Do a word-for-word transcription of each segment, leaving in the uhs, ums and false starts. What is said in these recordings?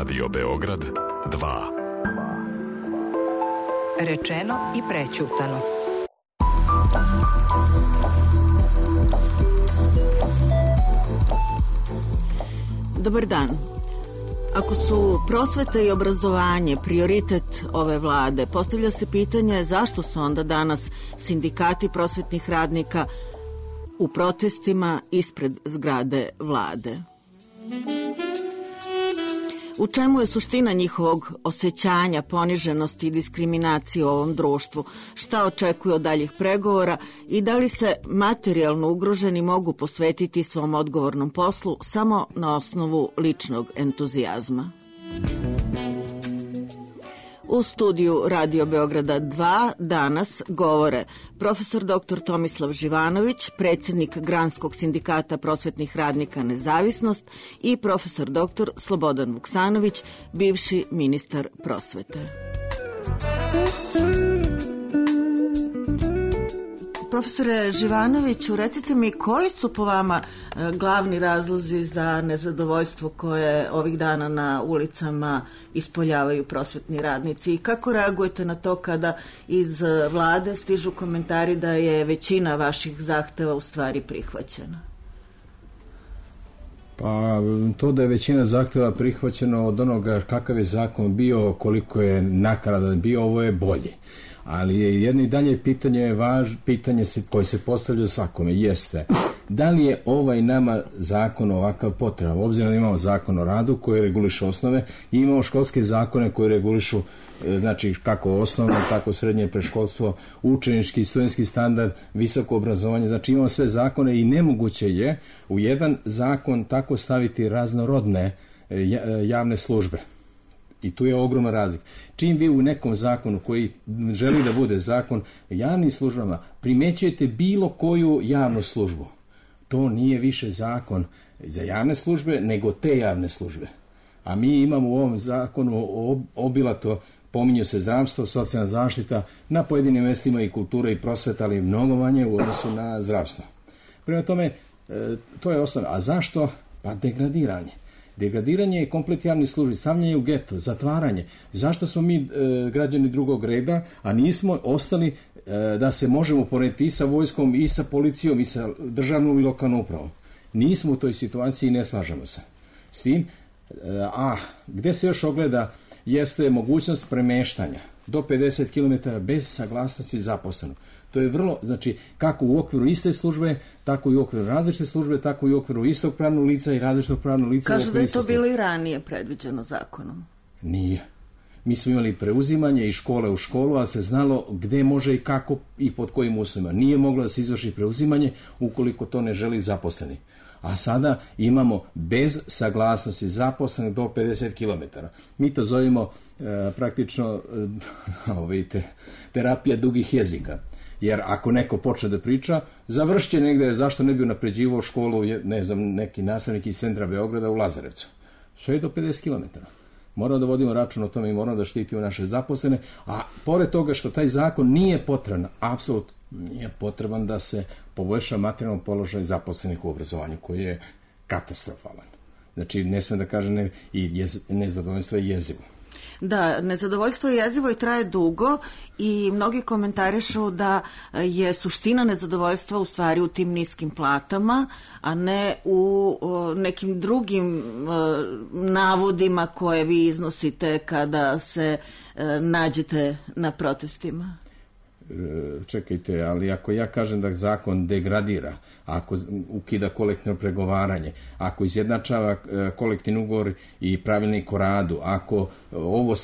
Radio Beograd dva. Rečeno i prećutano. Dobar dan. Ako su prosveta i obrazovanje prioritet ove vlade, postavlja se pitanje zašto su onda danas sindikati prosvetnih radnika u protestima ispred zgrade vlade. U čemu je suština njihovog osjećanja, poniženosti i diskriminacije u ovom društvu? Šta očekuju od daljih pregovora i da li se materijalno ugroženi mogu posvetiti svom odgovornom poslu samo na osnovu ličnog entuzijazma? U studiju Radio Beograda dva danas govore profesor doktor Tomislav Živanović, predsjednik Granskog sindikata prosvetnih radnika Nezavisnost i profesor doktor Slobodan Vuksanović, bivši ministar prosvete. Profesore Živanoviću, recite mi koji su po vama glavni razlozi za nezadovoljstvo koje ovih dana na ulicama ispoljavaju prosvetni radnici i kako reagujete na to kada iz vlade stižu komentari da je većina vaših zahteva u stvari prihvaćena? Pa to da je većina zahteva prihvaćeno od onoga kakav je zakon bio, koliko je nakaradan bio, ovo je bolje. Ali je jedno i dalje pitanje, važ, pitanje se, koje se postavlja svakome, jeste da li je ovaj nama zakon ovakav potreban. Obzirom da imamo zakon o radu koji reguliše osnove i imamo školske zakone koji regulišu znači kako osnovno, tako srednje predškolstvo, učenički, studentski standard, visoko obrazovanje, znači imamo sve zakone i nemoguće je u jedan zakon tako staviti raznorodne javne službe. I tu je ogromna razlika. Čim vi u nekom zakonu koji želi da bude zakon javnim službama primećujete bilo koju javnu službu, to nije više zakon za javne službe, nego te javne službe. A mi imamo u ovom zakonu obilato, pominju se zdravstvo, socijalna zaštita, na pojedinim mjestima i kultura i prosveta, ali mnogo manje u odnosu na zdravstvo. Prema tome, to je osnovno. A zašto? Pa degradiranje. Degradiranje je komplet javni službi, stavljanje u geto, zatvaranje. Zašto smo mi e, građani drugog reda, a nismo ostali e, da se možemo porediti i sa vojskom, i sa policijom, i sa državnom i lokalnom upravom? Nismo u toj situaciji i ne slažemo se s tim. E, a gde se još ogleda jeste mogućnost premeštanja do pedeset kilometara bez saglasnosti zaposlenog. To je vrlo, znači, kako u okviru iste službe, tako i u okviru različite službe, tako i u okviru istog pravnog lica i različitog pravnog lica. Kažu da je to bilo i ranije predviđeno zakonom. Nije. Mi smo imali preuzimanje iz škole u školu, ali se znalo gde može i kako i pod kojim uslovima. Nije moglo da se izvrši preuzimanje ukoliko to ne želi zaposleni. A sada imamo bez saglasnosti zaposlenih do pedeset kilometara. Mi to zovemo e, praktično e, vidite, terapija dugih jezika. Jer ako neko počne da priča, završit će negde, zašto ne bi unapređivao školu, ne znam, neki nastavnik iz centra Beograda u Lazarevcu. Sve je do pedeset kilometara. Moramo da vodimo račun o tome i moramo da štitimo naše zaposlene, a pored toga što taj zakon nije potreban, apsolutno nije potreban da se poboljša materijalno položaj zaposlenih u obrazovanju, koji je katastrofalan. Znači, ne sme da kaže ne, i jez, nezadovoljstvo je jezivo. Da, nezadovoljstvo je jezivo i traje dugo i mnogi komentarišu da je suština nezadovoljstva u stvari u tim niskim platama, a ne u o, nekim drugim o, navodima koje vi iznosite kada se o, nađete na protestima. Čekajte, ali ako ja kažem da zakon degradira, ako ukida kolektivno pregovaranje, ako izjednačava kolektivni ugovor i pravilnik o radu, ako ovo,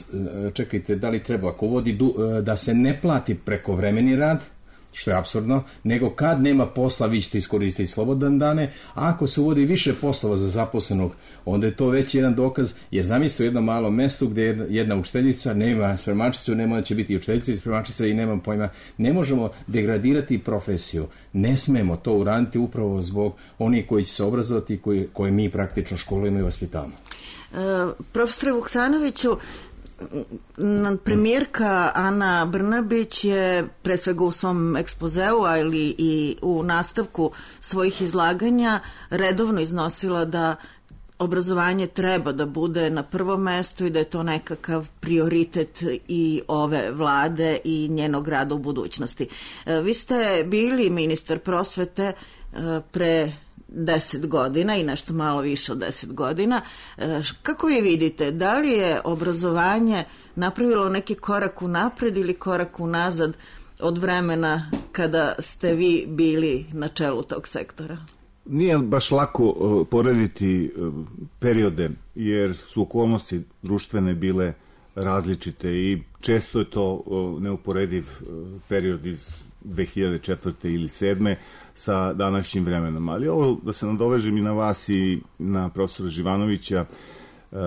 čekajte, da li treba, ako vodi da se ne plati prekovremeni rad, što je apsurdno, nego kad nema posla vi ćete iskoristiti slobodan dane, a ako se uvodi više poslova za zaposlenog, onda je to već jedan dokaz, jer zamislite u jednom malom mestu gdje jedna, jedna učiteljica nema spremačicu, nema da će biti učiteljica i spremačica i nemam pojma, ne možemo degradirati profesiju, ne smemo to uraditi upravo zbog onih koji će se obrazovati i koji, koje mi praktično školujemo i vaspitavamo. E, profesore Vuksanoviću, premijerka Ana Brnabić je pre svega u svom ekspozeu, ali i u nastavku svojih izlaganja redovno iznosila da obrazovanje treba da bude na prvom mestu i da je to nekakav prioritet i ove vlade i njenog rada u budućnosti. Vi ste bili ministar prosvete pre deset godina i nešto malo više od deset godina. Kako vi vidite, da li je obrazovanje napravilo neki korak unapred ili korak unazad od vremena kada ste vi bili na čelu tog sektora? Nije baš lako uh, porediti uh, periode, jer su okolnosti društvene bile različite i često je to uh, neuporediv uh, period iz dve hiljade četvrte ili sedme sa današnjim vremenom. Ali ovo, da se nadovežem i na vas i na profesora Živanovića, uh,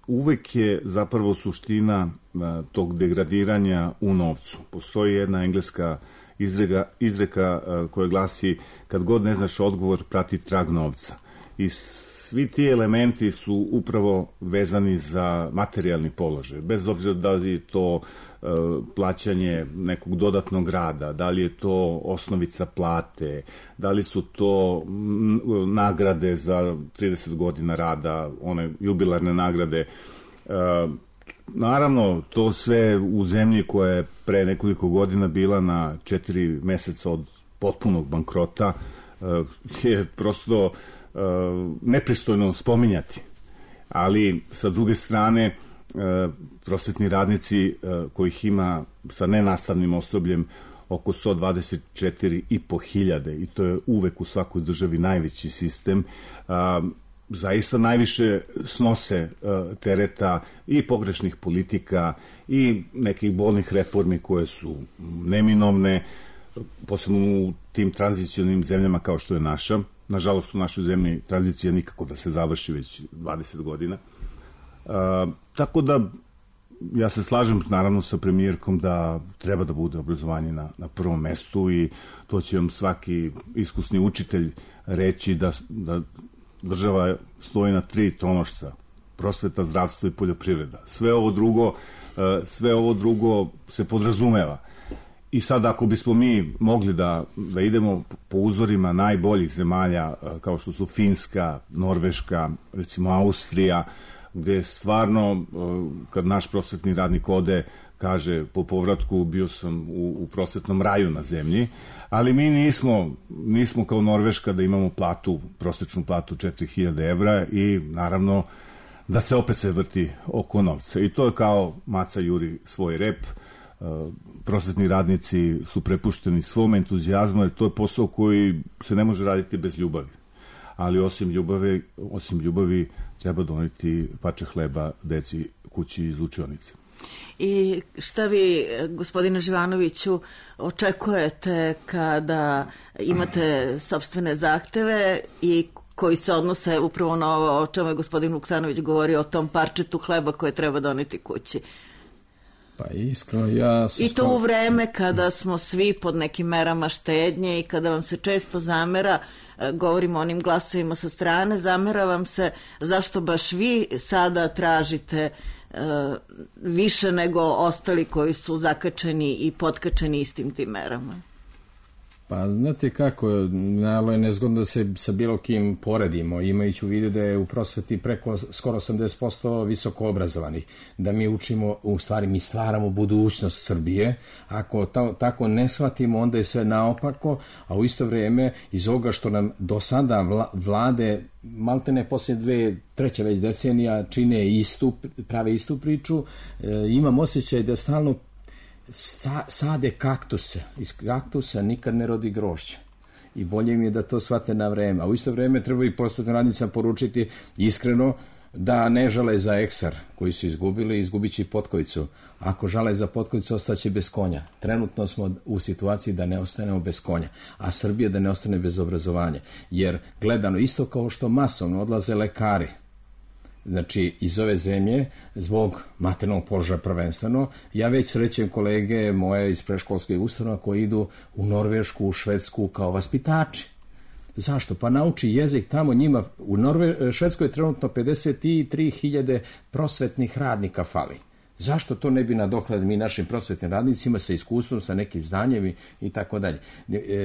uvek je zapravo suština uh, tog degradiranja u novcu. Postoji jedna engleska izreka, izreka uh, koja glasi: kad god ne znaš odgovor, prati trag novca. I svi ti elementi su upravo vezani za materijalni položaj, bez obzira da li je to uh, plaćanje nekog dodatnog rada, da li je to osnovica plate, da li su to m, nagrade za trideset godina rada, one jubilarne nagrade. Uh, Naravno, to sve u zemlji koja je pre nekoliko godina bila na četiri meseca od potpunog bankrota je prosto nepristojno spominjati. Ali, sa druge strane, prosvetni radnici kojih ima sa nenastavnim osobljem oko sto dvadeset četiri i po hiljade, i to je uvek u svakoj državi najveći sistem, zaista najviše snose uh, tereta i pogrešnih politika i nekih bolnih reformi koje su neminovne, posebno u tim tranzicionim zemljama kao što je naša. Nažalost, u našoj zemlji tranzicija nikako da se završi već dvadeset godina. Uh, tako da, ja se slažem naravno sa premijerkom da treba da bude obrazovanje na, na prvom mestu i to će vam svaki iskusni učitelj reći da, da država stoji na tri tonošca: prosveta, zdravstvo i poljoprivreda. Sve ovo drugo, sve ovo drugo se podrazumeva. I sad ako bismo mi mogli da, da idemo po uzorima najboljih zemalja kao što su Finska, Norveška, recimo Austrija, gde stvarno kad naš prosvetni radnik ode, kaže po povratku bio sam u, u prosvetnom raju na zemlji, ali mi nismo, nismo kao Norveška da imamo platu, prosječnu platu četiri hiljade evra i naravno da se opet se vrti oko novca. I to je kao maca juri svoj rep. Prosvetni radnici su prepušteni svom entuzijazmu, jer to je posao koji se ne može raditi bez ljubavi. Ali osim ljubavi, osim ljubavi treba doneti pače hleba deci kući iz učionice. I šta vi, gospodine Živanoviću, očekujete kada imate sopstvene zahteve i koji se odnose upravo na ovo o čemu je gospodin Vuksanović govorio, o tom parčetu hleba koje treba doneti kući? Pa iskreno, ja... I to u vreme kada smo svi pod nekim merama štednje i kada vam se često zamera, govorimo o onim glasovima sa strane, zamera vam se zašto baš vi sada tražite uh, više nego ostali koji su zakačeni i potkačeni istim tim merama. Pa znate kako, nalo je nezgodno da se sa bilo kim poredimo, imajući u vidu da je u prosveti preko skoro osamdeset posto visoko obrazovanih, da mi učimo, u stvari mi stvaramo budućnost Srbije. Ako ta, tako ne shvatimo, onda je sve naopako, a u isto vrijeme iz ovoga što nam do sada vla, vlade maltene poslije dve, treće već decenija čine istu, prave istu priču, e, imam osjećaj da stalno Sa, sade kaktuse. Iz kaktusa nikad ne rodi grožđe. I bolje im je da to shvate na vreme. A u isto vrijeme treba i prosvetnim radnicima poručiti iskreno da ne žale za eksar koji su izgubili, izgubit će i potkovicu. Ako žale za potkovicu, ostaće bez konja. Trenutno smo u situaciji da ne ostanemo bez konja, a Srbija da ne ostane bez obrazovanja. Jer gledano isto kao što masovno odlaze lekari, znači iz ove zemlje, zbog materijalnog položaja prvenstveno, ja već srećem kolege moje iz predškolskih ustanova koji idu u Norvešku, u Švedsku kao vaspitači. Zašto? Pa nauči jezik tamo njima. U Norve... Švedskoj je trenutno pedeset tri hiljade prosvetnih radnika fali. Zašto to ne bi nadoknadili mi našim prosvetnim radnicima sa iskustvom, sa nekim znanjem i tako dalje.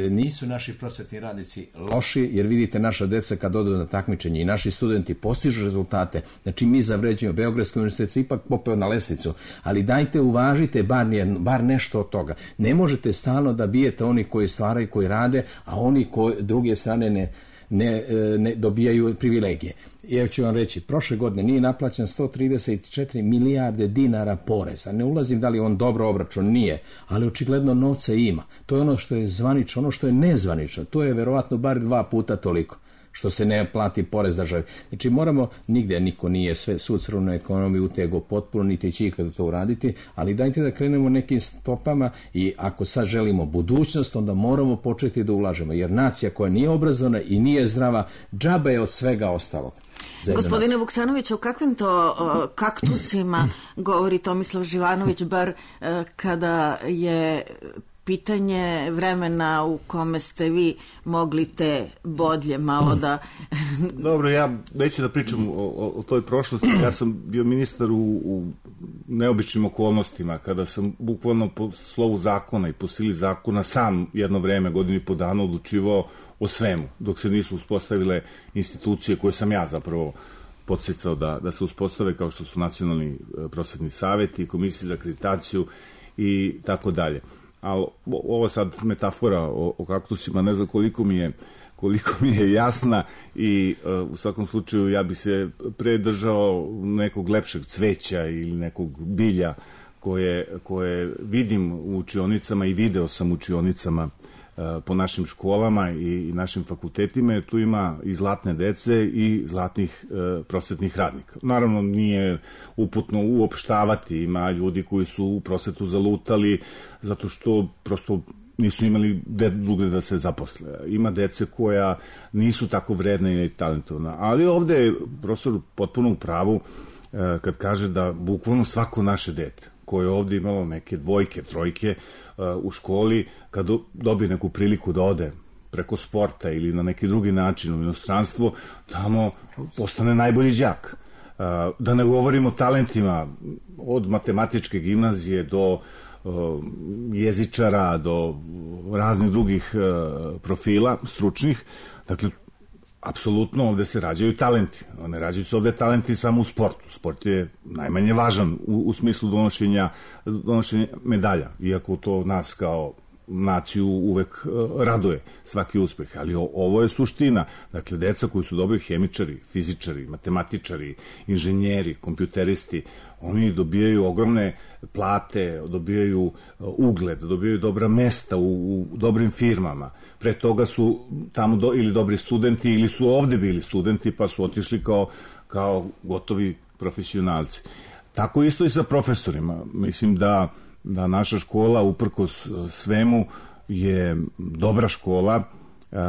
Nisu naši prosvetni radnici loši, jer vidite naša deca kad odu na takmičenje i naši studenti postižu rezultate. Znači mi zavređujemo, Beogradski univerzitet se ipak popeo na lesnicu, ali dajte uvažite bar, bar nešto od toga. Ne možete stalno da bijete oni koji stvaraju, koji rade, a oni koji druge strane ne Ne, ne dobijaju privilegije. Ja ću vam reći, prošle godine nije naplaćen sto trideset četiri milijarde dinara poreza. Ne ulazim da li on dobro obračun, nije, ali očigledno novca ima. To je ono što je zvanično, ono što je nezvanično. To je verovatno bar dva puta toliko što se ne plati porez državi. Znači moramo, nigde niko nije sve svu crvenu ekonomiju utego potpuno, niti će ikada to uraditi, ali dajte da krenemo nekim stopama i ako sad želimo budućnost, onda moramo početi da ulažemo, jer nacija koja nije obrazovana i nije zdrava, džaba je od svega ostalog. Gospodine Vuksanović, o kakvim to o, kaktusima govori Tomislav Živanović, bar e, kada je pitanje vremena u kome ste vi mogli te bodlje malo da... Dobro, ja neću da pričam o, o, o toj prošlosti. Ja sam bio ministar u, u neobičnim okolnostima, kada sam bukvalno po slovu zakona i po sili zakona sam jedno vreme, godinu i po dana odlučivao o svemu, dok se nisu uspostavile institucije koje sam ja zapravo podsticao da, da se uspostave, kao što su Nacionalni prosvetni saveti, Komisije za akreditaciju i tako dalje. Ali ovo sad metafora o, o kaktusima, ne znam koliko mi je, koliko mi je jasna i uh, u svakom slučaju ja bi se predržao nekog lepšeg cveća ili nekog bilja koje, koje vidim u učionicama i video sam u učionicama uh, po našim školama i, i našim fakultetima, jer tu ima i zlatne dece i zlatnih uh, prosvetnih radnika. Naravno nije uputno uopštavati, ima ljudi koji su u prosvetu zalutali zato što prosto nisu imali drugde da se zaposle. Ima dece koja nisu tako vredna i talentovna. Ali ovde je profesor potpuno u pravu kad kaže da bukvalno svako naše dete koje je ovde imalo neke dvojke, trojke u školi, kad dobije neku priliku da ode preko sporta ili na neki drugi način u inostranstvo, tamo postane najbolji đak. Da ne govorimo o talentima od matematičke gimnazije do jezičara, do raznih drugih profila stručnih. Dakle, apsolutno ovde se rađaju talenti. Ne rađaju se ovde talenti samo u sportu. Sport je najmanje važan u, u smislu donošenja, donošenja medalja, iako to nas kao naciju uvek uh, raduje svaki uspeh, ali o, ovo je suština. Dakle, deca koji su dobri hemičari, fizičari, matematičari, inženjeri, kompjuteristi, oni dobijaju ogromne plate, dobijaju uh, ugled, dobijaju dobra mesta u, u dobrim firmama. Pre toga su tamo do, ili dobri studenti ili su ovde bili studenti pa su otišli kao, kao gotovi profesionalci. Tako isto i sa profesorima. Mislim da da naša škola, uprkos svemu, je dobra škola,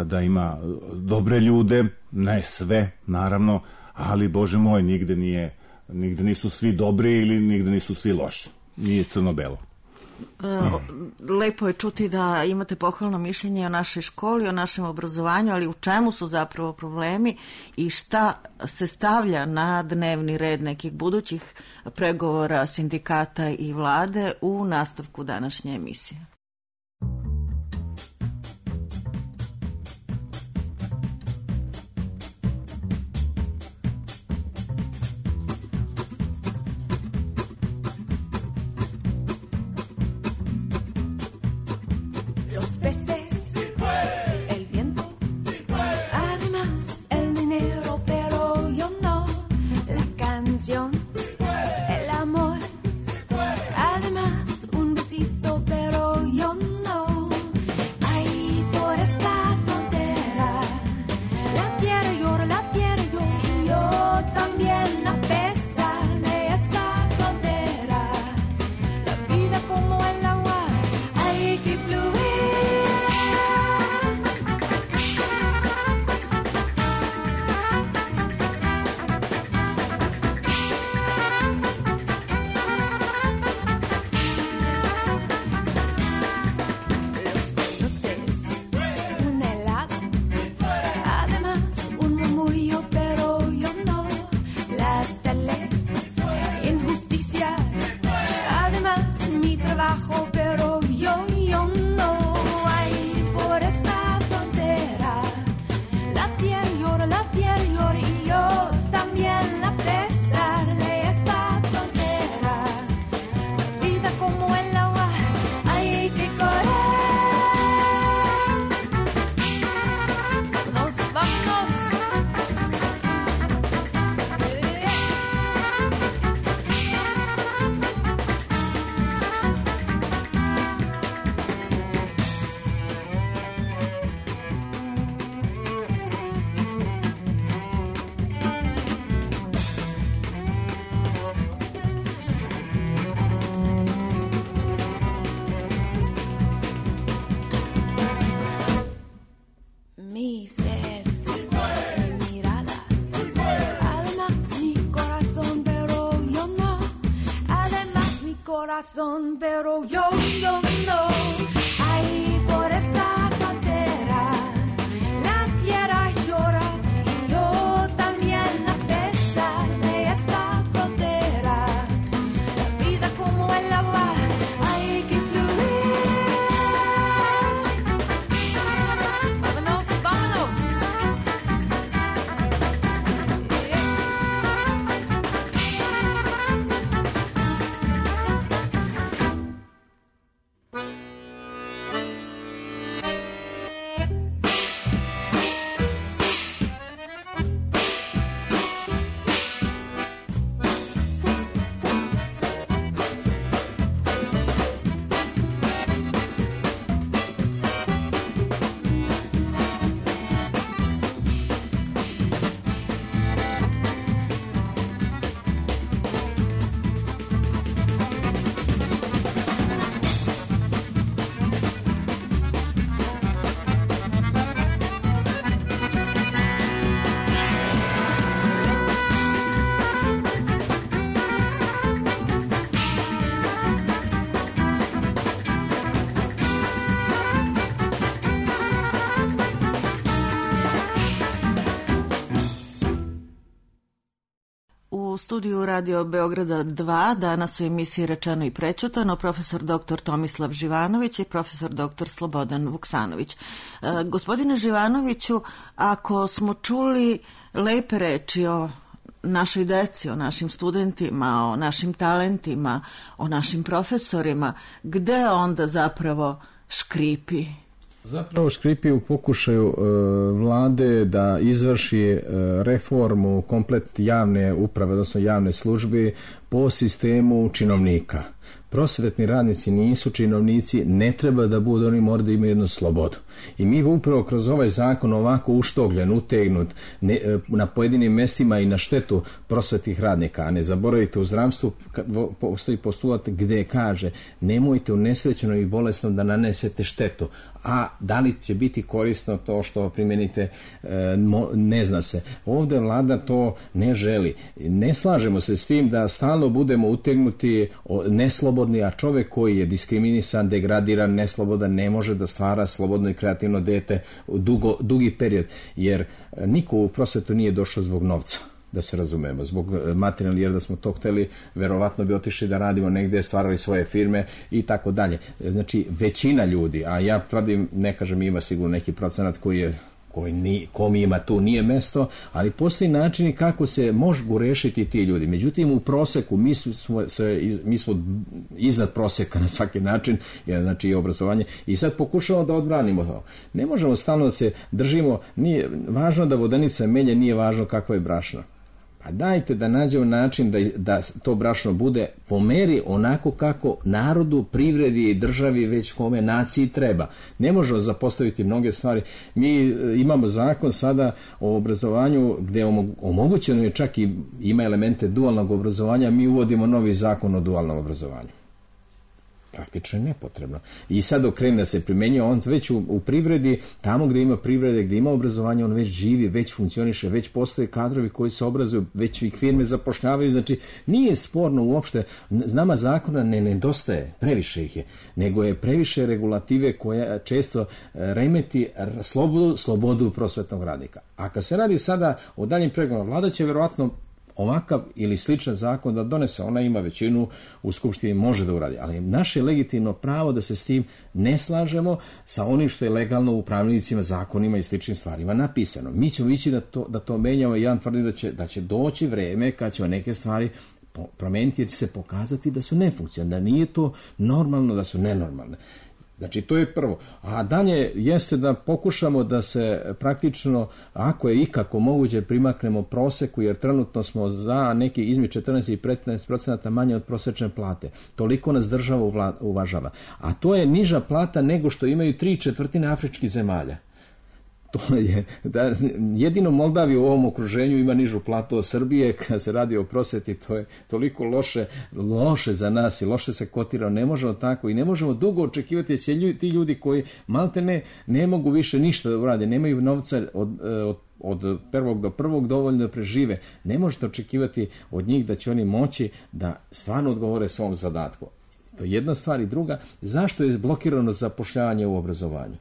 da ima dobre ljude, ne sve, naravno, ali, Bože moj, nigde nije, nigde nisu svi dobri ili nigde nisu svi loši. Nije crno-belo. Lepo je čuti da imate pohvalno mišljenje o našoj školi, o našem obrazovanju, ali u čemu su zapravo problemi i šta se stavlja na dnevni red nekih budućih pregovora sindikata i vlade u nastavku današnje emisije. El amor, además un besito, pero yo no. Ahí por esta frontera, la tierra llora, la tierra llora y yo también, a pesar de esta frontera. La vida como el agua, hay que fluir. corazón, pero yo, yo no. Ahí por esta frontera, la tierra llora y yo también a pesar de esta frontera. La vida como el agua, hay que fluir. Vámonos, vámonos. U studiju Radio Beograda dva danas u emisiji Rečeno i prećutano profesor doktor Tomislav Živanović i profesor doktor Slobodan Vuksanović. E, gospodine Živanoviću, ako smo čuli lepe reči o našoj deci, o našim studentima, o našim talentima, o našim profesorima, gde onda zapravo škripi? Zapravo škripi u pokušaju e, vlade da izvrši e, reformu komplet javne uprave, odnosno javne službe po sistemu činovnika. Prosvetni radnici nisu činovnici, ne treba da budu, oni moraju da imaju jednu slobodu. I mi upravo kroz ovaj zakon ovako uštogljen, utegnut ne, na pojedinim mestima i na štetu prosvetnih radnika, a ne zaboravite, u zdravstvu postoji postulat gde kaže nemojte u nesrećenom i bolesnom da nanesete štetu, a da li će biti korisno to što primenite, ne zna se. Ovde vlada to ne želi. Ne slažemo se s tim da stalno budemo utegnuti neslobodni, a čovek koji je diskriminisan, degradiran, neslobodan, ne može da stvara slobodno i kreativno dete u dugo, dugi period, jer niko u prosvetu nije došao zbog novca, da se razumemo, zbog materijalnih, jer da smo to hteli, verovatno bi otišli da radimo negde, stvarali svoje firme i tako dalje. Znači, većina ljudi, a ja tvrdim, ne kažem ima sigurno neki procenat koji je koji ni, kom ima tu nije mesto, ali postoji načini kako se mogu rešiti ti ljudi. Međutim, u proseku mi smo, se, mi smo iznad proseka na svaki način, jer, znači i obrazovanje, i sad pokušamo da odbranimo to. Ne možemo stalno da se držimo, nije važno da vodenica menja, nije važno kako je brašno. Pa dajte da nađemo način da, da to brašno bude po meri onako kako narodu, privredi i državi, već kome naciji treba. Ne možemo zapostaviti mnoge stvari. Mi imamo zakon sada o obrazovanju gde omogućeno je čak i ima elemente dualnog obrazovanja, mi uvodimo novi zakon o dualnom obrazovanju. Praktično je nepotrebno. I sad dok krene da se primenjuje, on već u, u privredi, tamo gde ima privrede, gde ima obrazovanje, on već živi, već funkcioniše, već postoje kadrovi koji se obrazuju, već ih firme zapošljavaju, znači nije sporno uopšte, nama zakona ne nedostaje, previše ih je, nego je previše regulative koja često remeti slobodu, slobodu prosvetnog radnika. A kad se radi sada o daljim pregovorima, vlada će verovatno ovakav ili sličan zakon da donese, ona ima većinu u Skupštini, može da uradi, ali naše legitimno pravo da se s tim ne slažemo sa onim što je legalno u pravilnicima, zakonima i sličnim stvarima napisano. Mi ćemo ići da to, da to menjamo i ja tvrdim da će, da će doći vreme kad ćemo neke stvari promeniti jer će se pokazati da su nefunkcionalne, da nije to normalno, da su nenormalne. Znači, to je prvo. A dalje jeste da pokušamo da se praktično, ako je ikako moguće, primaknemo proseku, jer trenutno smo za neki između četrnaest i petnaest procenata manje od prosečne plate. Toliko nas država uvažava. A to je niža plata nego što imaju tri četvrtine afričkih zemalja. To je, da, jedino Moldavija u ovom okruženju ima nižu platu od Srbije, kad se radi o prosveti, to je toliko loše, loše za nas i loše se kotira, ne možemo tako i ne možemo dugo očekivati, jer će ljudi, ti ljudi koji malte ne, ne mogu više ništa da urade, nemaju novca od, od od prvog do prvog dovoljno da prežive, ne možete očekivati od njih da će oni moći da stvarno odgovore svom zadatku. To je jedna stvar. I druga, zašto je blokirano zapošljavanje u obrazovanju?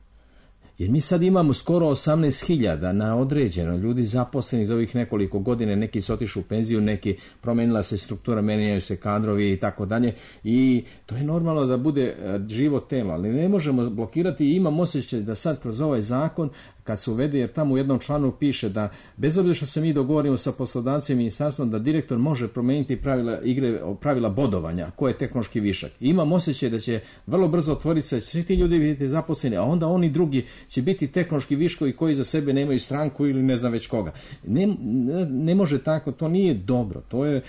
Jer mi sad imamo skoro osamnaest hiljada na određeno ljudi zaposleni za ovih nekoliko godina, neki su otišli u penziju, neki promenila se struktura, menjaju se kadrovi i tako dalje, i to je normalno da bude živo telo, ali ne možemo blokirati. I imam osjećaj da sad kroz ovaj zakon, kad se uvede, jer tamo u jednom članu piše da bez obzira što se mi dogovorimo sa poslodavcem i ministarstvom, da direktor može promeniti pravila igre, pravila bodovanja, ko je tehnološki višak. I imam osjećaj da će vrlo brzo otvoriti se, svi ti ljudi biti zaposleni, a onda oni drugi će biti tehnološki viškovi koji za sebe nemaju stranku ili ne znam već koga. Ne, ne, ne može tako, to nije dobro. To je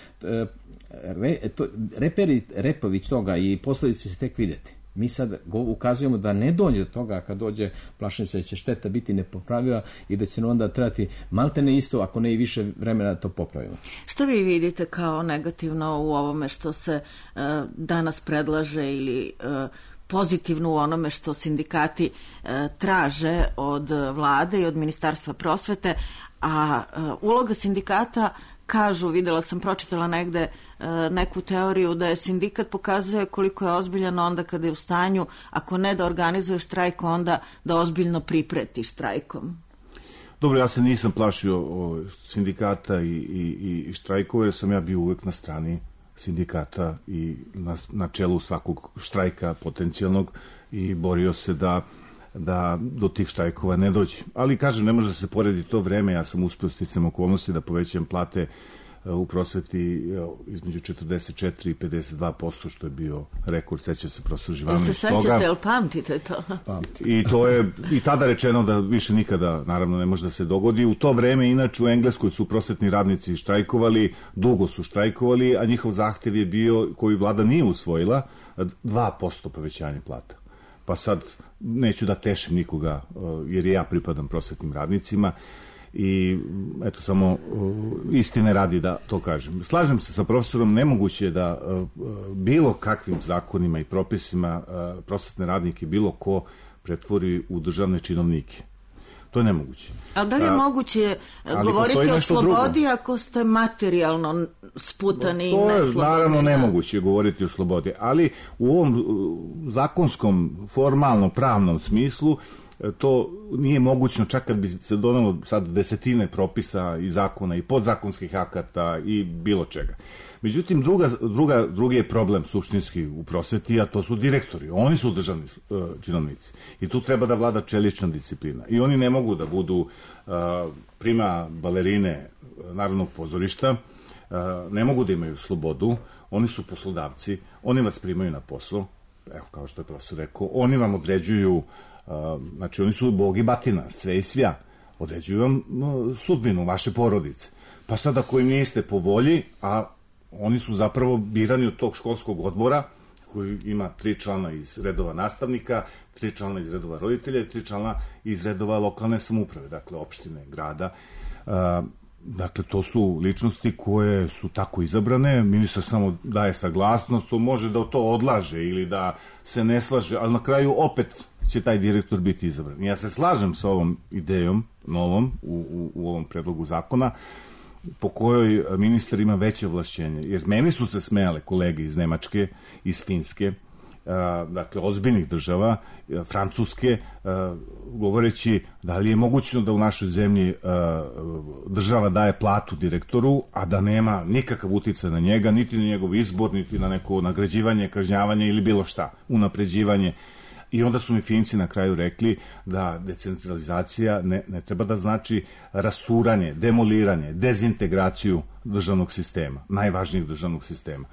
re, to, reperi, repović toga i posljedice će tek vidjeti. Mi sad ukazujemo da ne dođe do toga, kad dođe plašim se da će šteta biti nepopravljiva i da će onda trebati maltene isto, ako ne i više vremena da to popravimo. Što vi vidite kao negativno u ovome što se uh, danas predlaže ili uh, pozitivno u onome što sindikati uh, traže od vlade i od Ministarstva prosvete, a uh, uloga sindikata, kažu, videla sam, pročitala negde uh, neku teoriju da je sindikat pokazuje koliko je ozbiljan onda kada je u stanju, ako ne da organizuje štrajk, onda da ozbiljno pripreti štrajkom. Dobro, ja se nisam plašio o sindikata i, i, i štrajkova, jer sam ja bio uvek na strani sindikata i na, na čelu svakog štrajka potencijalnog i borio se da da do tih štrajkova ne dođe. Ali, kažem, ne može da se poredi to vreme. Ja sam uspio sticam okolnosti da povećam plate u prosveti između četrdeset četiri i pedeset dva posto, što je bio rekord, seća se profesor Živanović. Jel se sećate, jel pamtite to? Pamti. I to je i tada rečeno da više nikada, naravno, ne može da se dogodi. U to vreme, inače, u Engleskoj su prosvetni radnici štrajkovali, dugo su štrajkovali, a njihov zahtev je bio, koji vlada nije usvojila, dva posto povećanje plata. Pa sad neću da tešim nikoga, jer ja pripadam prosvetnim radnicima i eto, samo istine radi da to kažem. Slažem se sa profesorom, nemoguće je da bilo kakvim zakonima i propisima prosvetne radnike bilo ko pretvori u državne činovnike. To je nemoguće. A da li je moguće govoriti o slobodi drugo, ako ste materijalno sputani i neslobodni? To je naravno nemoguće govoriti o slobodi, ali u ovom zakonskom, formalno, pravnom smislu to nije mogućno, čak kad bi se donelo sad desetine propisa i zakona i podzakonskih akata i bilo čega. Međutim, druga, druga, drugi je problem suštinski u prosveti, a to su direktori. Oni su državni uh, činovnici. I tu treba da vlada čelična disciplina. I oni ne mogu da budu uh, prima balerine Narodnog pozorišta, uh, ne mogu da imaju slobodu, oni su poslodavci, oni vas primaju na posao, evo, kao što je profesor rekao, oni vam određuju, uh, znači oni su bog i batina, sve i svja, određuju vam uh, sudbinu vaše porodice. Pa sad ako im niste po volji, a oni su zapravo birani od tog školskog odbora koji ima tri člana iz redova nastavnika, tri člana iz redova roditelja i tri člana iz redova lokalne samouprave, dakle opštine, grada. A, dakle, to su ličnosti koje su tako izabrane, ministar samo daje saglasnost, to može da to odlaže ili da se ne slaže, ali na kraju opet će taj direktor biti izabran. Ja se slažem sa ovom idejom novom u, u, u ovom predlogu zakona, po kojoj ministar ima veće ovlašćenje. Jer meni su se smejale kolege iz Nemačke, iz Finske, dakle, ozbiljnih država, Francuske, govoreći da li je mogućno da u našoj zemlji država daje platu direktoru, a da nema nikakav uticaj na njega, niti na njegov izbor, niti na neko nagrađivanje, kažnjavanje ili bilo šta, unapređivanje. I onda su mi Finci na kraju rekli da decentralizacija ne, ne treba da znači rasturanje, demoliranje, dezintegraciju državnog sistema, najvažnijeg državnog sistema.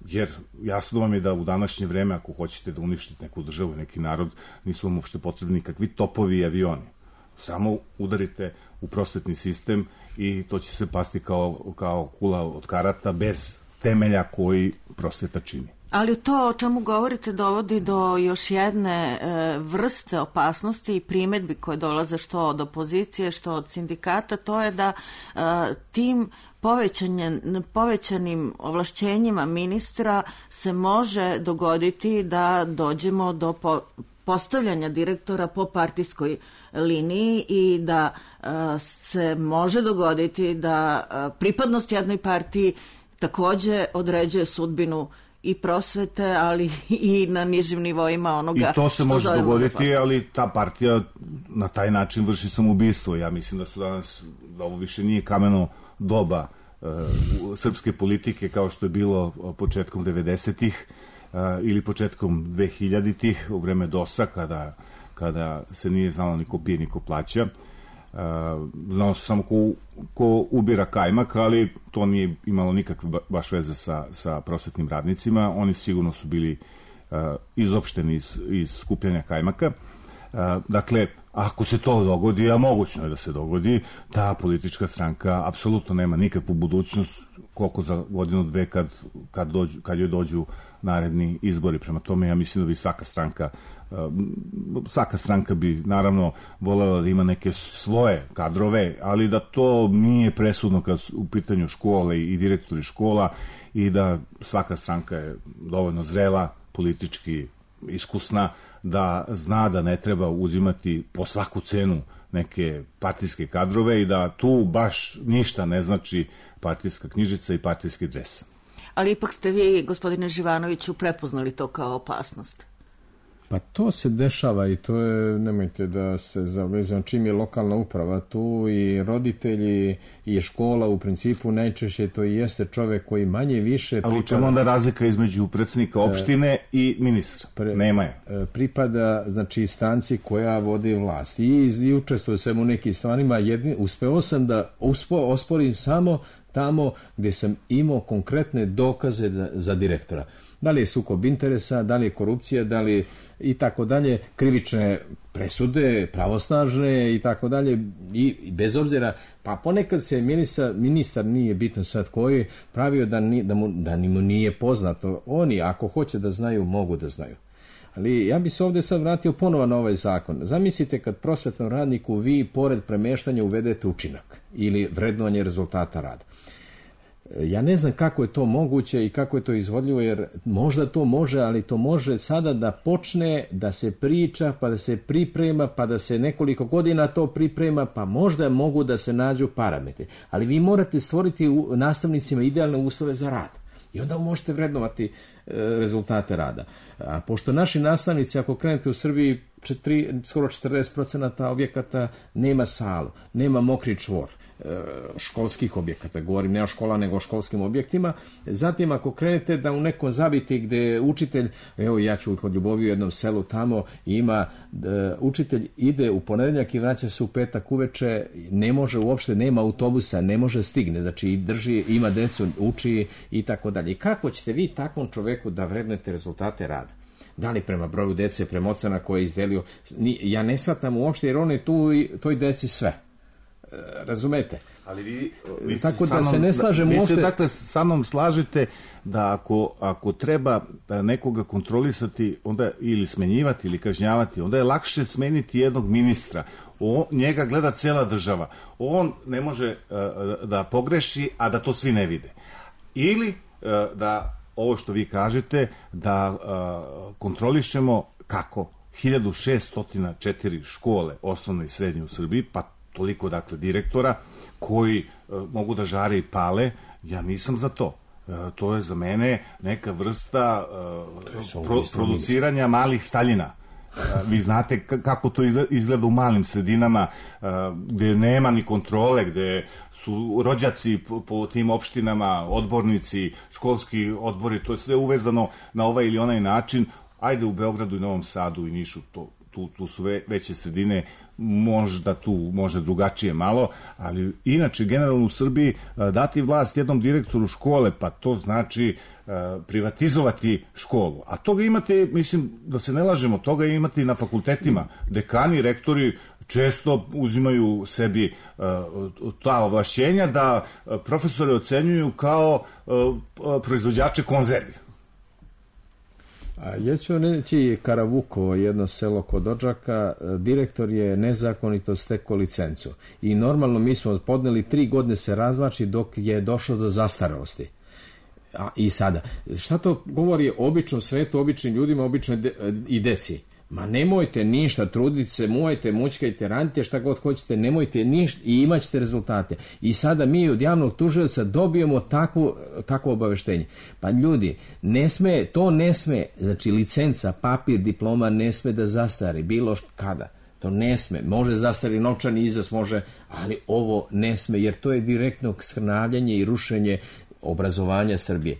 Jer jasno vam je da u današnje vreme, ako hoćete da uništite neku državu i neki narod, nisu vam uopšte potrebni kakvi topovi i avioni. Samo udarite u prosvetni sistem i to će se pasti kao, kao kula od karata bez temelja koji prosveta čini. Ali to o čemu govorite dovodi do još jedne e, vrste opasnosti i primedbi koje dolaze što od opozicije, što od sindikata, to je da e, tim povećanim ovlašćenjima ministra se može dogoditi da dođemo do po, postavljanja direktora po partijskoj liniji i da e, se može dogoditi da e, pripadnost jednoj partiji takođe određuje sudbinu i prosvete, ali i na nižim nivoima onoga. I to se što može dogoditi, zaposlen. ali ta partija na taj način vrši samoubistvo. Ja mislim da su danas, da ovo više nije kameno doba uh, srpske politike kao što je bilo početkom devedesetih uh, ili početkom dvehiljaditih u vreme dosa kada, kada se nije znalo ni ko pije, ni ko plaća. Uh, znao se samo ko, ko ubira kajmak, ali to nije imalo nikakve baš veze sa, sa prosvetnim radnicima. Oni sigurno su bili uh, izopšteni iz, iz skupljanja kajmaka. Uh, dakle, ako se to dogodi, a mogućno je da se dogodi, ta politička stranka apsolutno nema nikakvu budućnost koliko za godinu, dve kad, kad, dođu, kad joj dođu naredni izbori. Prema tome, ja mislim da bi svaka stranka svaka stranka bi naravno voljela da ima neke svoje kadrove, ali da to nije presudno kad su u pitanju škole i direktori škola i da svaka stranka je dovoljno zrela, politički iskusna, da zna da ne treba uzimati po svaku cenu neke partijske kadrove i da tu baš ništa ne znači partijska knjižica i partijski dres. Ali ipak ste vi, gospodine Živanoviću, prepoznali to kao opasnost. Pa to se dešava i to je, nemojte da se zavezam, čim je lokalna uprava tu i roditelji i škola u principu najčešće to i jeste čovek koji manje više pripada... Ali u čemu onda razlika između predsjednika opštine e, i ministra? Pre, Nema je. Pripada, znači, stanci koja vodi vlast i, i učestvuje se u nekim stvarima. Jedni, uspeo sam da uspo, osporim samo tamo gde sam imao konkretne dokaze da, za direktora. Da li je sukob interesa, da li je korupcija, da li i tako dalje, krivične presude, pravosnažne i tako dalje, i bez obzira, pa ponekad se ministar, ministar nije bitno sad koji, pravio da, ni, da, mu, da ni mu nije poznato. Oni, ako hoće da znaju, mogu da znaju. Ali ja bi se ovdje sad vratio ponovo na ovaj zakon. Zamislite kad prosvetnom radniku vi pored premeštanja uvedete učinak ili vrednovanje rezultata rada. Ja ne znam kako je to moguće i kako je to izvodljivo, jer možda to može, ali to može sada da počne da se priča, pa da se priprema, pa da se nekoliko godina to priprema, pa možda mogu da se nađu parametri. Ali vi morate stvoriti u nastavnicima idealne uslove za rad. I onda možete vrednovati e, rezultate rada. A pošto naši nastavnici, ako krenete u Srbiji, četiri, skoro četrdeset procenata objekata nema salu, nema mokri čvor, školskih objekata, govorim ne o škola nego o školskim objektima. Zatim ako krenete da u nekom zabiti gde učitelj, evo ja ću kod Ljubovi u jednom selu tamo, ima da učitelj ide u ponedeljak i vraća se u petak uveče, ne može uopšte, nema autobusa, ne može stigne, znači drži, ima decu, uči i tako dalje. I kako ćete vi takvom čoveku da vrednete rezultate rada? Da li prema broju dece, prema ocena koje je izdelio? Ja ne shvatam uopšte, jer on je tu i toj deci sve. Razumete? Ali vi, vi tako da se ne slažem vi uopšte. se dakle sa mnom slažete da ako, ako treba nekoga kontrolisati onda ili smenjivati ili kažnjavati, onda je lakše smeniti jednog ministra. O, njega gleda cela država. On ne može uh, da pogreši, a da to svi ne vide. Ili uh, da ovo što vi kažete, da uh, kontrolišemo kako hiljadu šeststo četiri škole osnovne i srednje u Srbiji, pa toliko dakle direktora koji e, mogu da žare i pale, ja nisam za to. E, to je za mene neka vrsta e, pro, produciranja malih Staljina. E, vi znate k- kako to izgleda u malim sredinama e, gde nema ni kontrole, gde su rođaci po, po tim opštinama, odbornici, školski odbori, to je sve uvezano na ovaj ili onaj način. Ajde u Beogradu i Novom Sadu i Nišu, to Tu, tu su ve, veće sredine, možda tu može drugačije malo, ali inače generalno u Srbiji dati vlast jednom direktoru škole, pa to znači uh, privatizovati školu. A toga imate, mislim, da se ne lažemo, toga imate i na fakultetima. Dekani, rektori često uzimaju sebi uh, ta ovlašćenja da uh, profesore ocenjuju kao uh, proizvođače konzervi. A ja ću reći Karavukovo, jedno selo kod Odžaka, direktor je nezakonito stekao licencu. I normalno mi smo podneli tri godine se razvači dok je došlo do zastarelosti. A, i sada, šta to govori o običnom svetu, običnim ljudima, običnoj de, i deci? Ma nemojte ništa, trudite se, mujete, mućkajte, radite šta god hoćete, nemojte ništa i imat ćete rezultate. I sada mi od javnog tužioca dobijemo takvo, takvo obaveštenje. Pa ljudi, ne sme, to ne sme, znači licenca, papir, diploma ne sme da zastari, bilo kada. To ne sme, može zastari novčani iznos, može, ali ovo ne sme, jer to je direktno skrnavljanje i rušenje obrazovanja Srbije.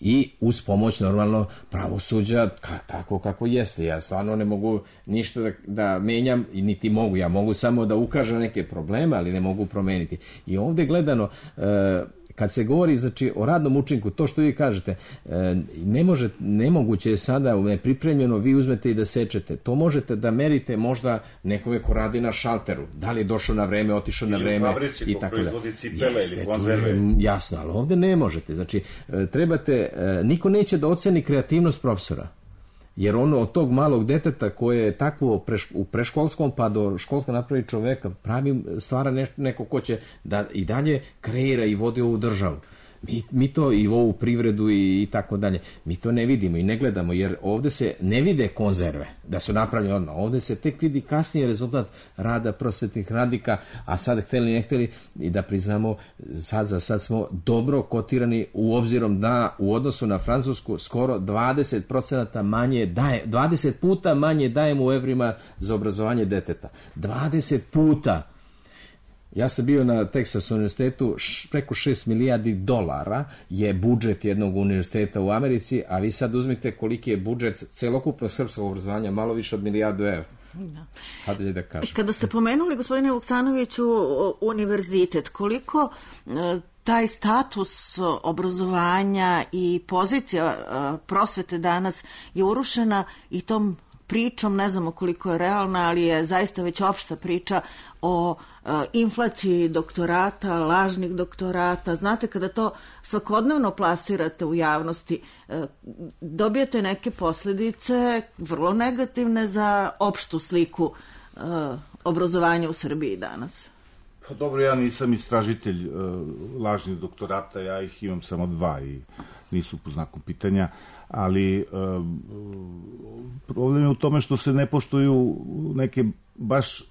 I uz pomoć normalno pravosuđa ka, tako kako jeste. Ja stvarno ne mogu ništa da, da menjam i niti mogu. Ja mogu samo da ukažem neke probleme, ali ne mogu promeniti. I ovdje gledano, e, kad se govori znači, o radnom učinku, to što vi kažete, e, ne može, nemoguće je sada nepripremljeno, vi uzmete i da sečete. To možete da merite možda nekoga ko radi na šalteru. Da li je došao na vreme, otišao na vreme. Ili u fabrici ko proizvodi cipele ili konzerve. Jasno, ali ovdje ne možete. Znači, e, trebate, e, niko neće da oceni kreativnost profesora. Jer ono od tog malog deteta koje je takvo preš, u preškolskom pa do školska napravi čoveka, pravi stvara ne, neko ko će da i dalje kreira i vodi ovu državu. Mi, mi to i ovu privredu i, i tako dalje. Mi to ne vidimo i ne gledamo jer ovdje se ne vide konzerve da su napravljene odmah. Ovdje se tek vidi kasnije rezultat rada prosvetnih radnika, a sad hteli ne hteli i da priznamo sad za sad smo dobro kotirani u obzirom da u odnosu na Francusku skoro dvadeset procenata manje daje, dvadeset puta manje dajemo u evrima za obrazovanje deteta. dvadeset puta. Ja sam bio na Texas univerzitetu, preko šest milijardi dolara je budžet jednog univerziteta u Americi, a vi sad uzmite koliki je budžet celokupnog srpskog obrazovanja, malo više od milijardu evra. Da. Hajde da kažem. Kada ste pomenuli, gospodine Vuksanoviću, univerzitet, koliko taj status obrazovanja i pozicija prosvete danas je urušena i tom pričom, ne znamo koliko je realna, ali je zaista već opšta priča o e, inflaciji doktorata, lažnih doktorata. Znate, kada to svakodnevno plasirate u javnosti, e, dobijete neke posljedice vrlo negativne za opštu sliku e, obrazovanja u Srbiji danas. Pa dobro, ja nisam istražitelj e, lažnih doktorata, ja ih imam samo dva i nisu po znaku pitanja. Ali um, problem je u tome što se ne poštuju neke baš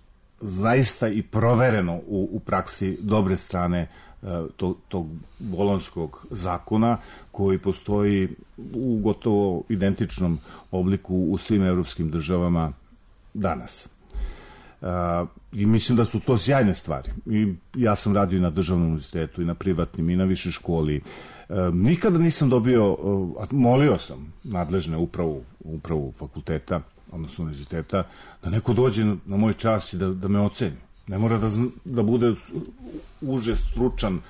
zaista i provereno u, u praksi dobre strane uh, tog, tog bolonjskog zakona koji postoji u gotovo identičnom obliku u svim evropskim državama danas. Uh, I mislim da su to sjajne stvari. I ja sam radio i na državnom univerzitetu i na privatnim i na višoj školi. E, nikada nisam dobio, e, molio sam nadležne upravu, upravu fakulteta, odnosno univerziteta, da neko dođe na, na moj čas i da, da me oceni. Ne mora da, da bude uže stručan uh,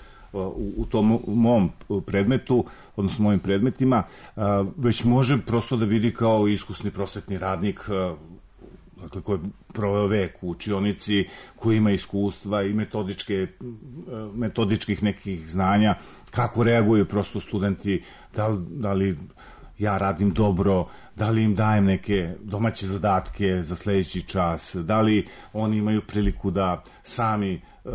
u, u tom mom predmetu, odnosno mojim predmetima, uh, već može prosto da vidi kao iskusni prosvetni radnik, uh, dakle, koji je proveo vek u učionici, koji ima iskustva i metodičke, metodičkih nekih znanja, kako reaguju prosto studenti, da li, da li ja radim dobro, da li im dajem neke domaće zadatke za sledeći čas, da li oni imaju priliku da sami uh,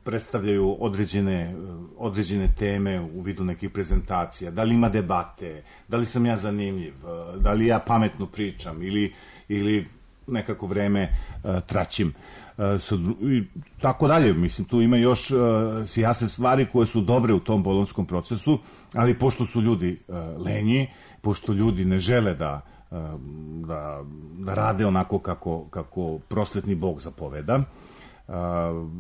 predstavljaju određene, uh, određene teme u vidu nekih prezentacija, da li ima debate, da li sam ja zanimljiv, uh, da li ja pametno pričam ili, ili nekako vreme uh, traćim. Uh, so, i tako dalje, mislim, tu ima još uh, jasne stvari koje su dobre u tom bolonjskom procesu, ali pošto su ljudi uh, lenji, pošto ljudi ne žele da, uh, da, da rade onako kako, kako prosvetni Bog zapoveda, uh,